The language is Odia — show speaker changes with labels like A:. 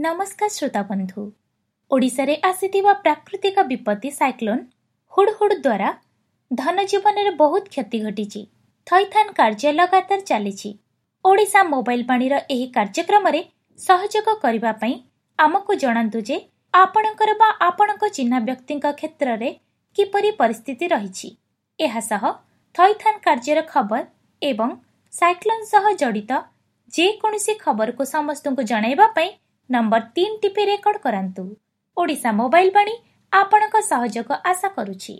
A: ନମସ୍କାର ଶ୍ରୋତା ବନ୍ଧୁ। ଓଡ଼ିଶାରେ ଆସିଥିବା ପ୍ରାକୃତିକ ବିପତ୍ତି ସାଇକ୍ଲୋନ୍ ହୁଡ୍ ହୁଡ୍ ଦ୍ୱାରା ଧନଜୀବନରେ ବହୁତ କ୍ଷତି ଘଟିଛି। ଥଇଥାନ କାର୍ଯ୍ୟ ଲଗାତାର ଚାଲିଛି। ଓଡ଼ିଶା ମୋବାଇଲ ବାଣୀର ଏହି କାର୍ଯ୍ୟକ୍ରମରେ ସହଯୋଗ କରିବା ପାଇଁ ଆମକୁ ଜଣାନ୍ତୁ ଯେ ଆପଣଙ୍କର ବା ଆପଣଙ୍କ ଚିହ୍ନା ବ୍ୟକ୍ତିଙ୍କ କ୍ଷେତ୍ରରେ କିପରି ପରିସ୍ଥିତି ରହିଛି। ଏହା ସହ ଥଇଥାନ କାର୍ଯ୍ୟର ଖବର ଏବଂ ସାଇକ୍ଲୋନ୍ ସହ ଜଡ଼ିତ ଯେକୌଣସି ଖବରକୁ ସମସ୍ତଙ୍କୁ ଜଣାଇବା ପାଇଁ ନମ୍ବର 3 ଟିପି ରେକର୍ଡ କରାନ୍ତୁ। ଓଡ଼ିଶା ମୋବାଇଲ ବାଣୀ ଆପଣଙ୍କ ସହଯୋଗ ଆଶା କରୁଛି।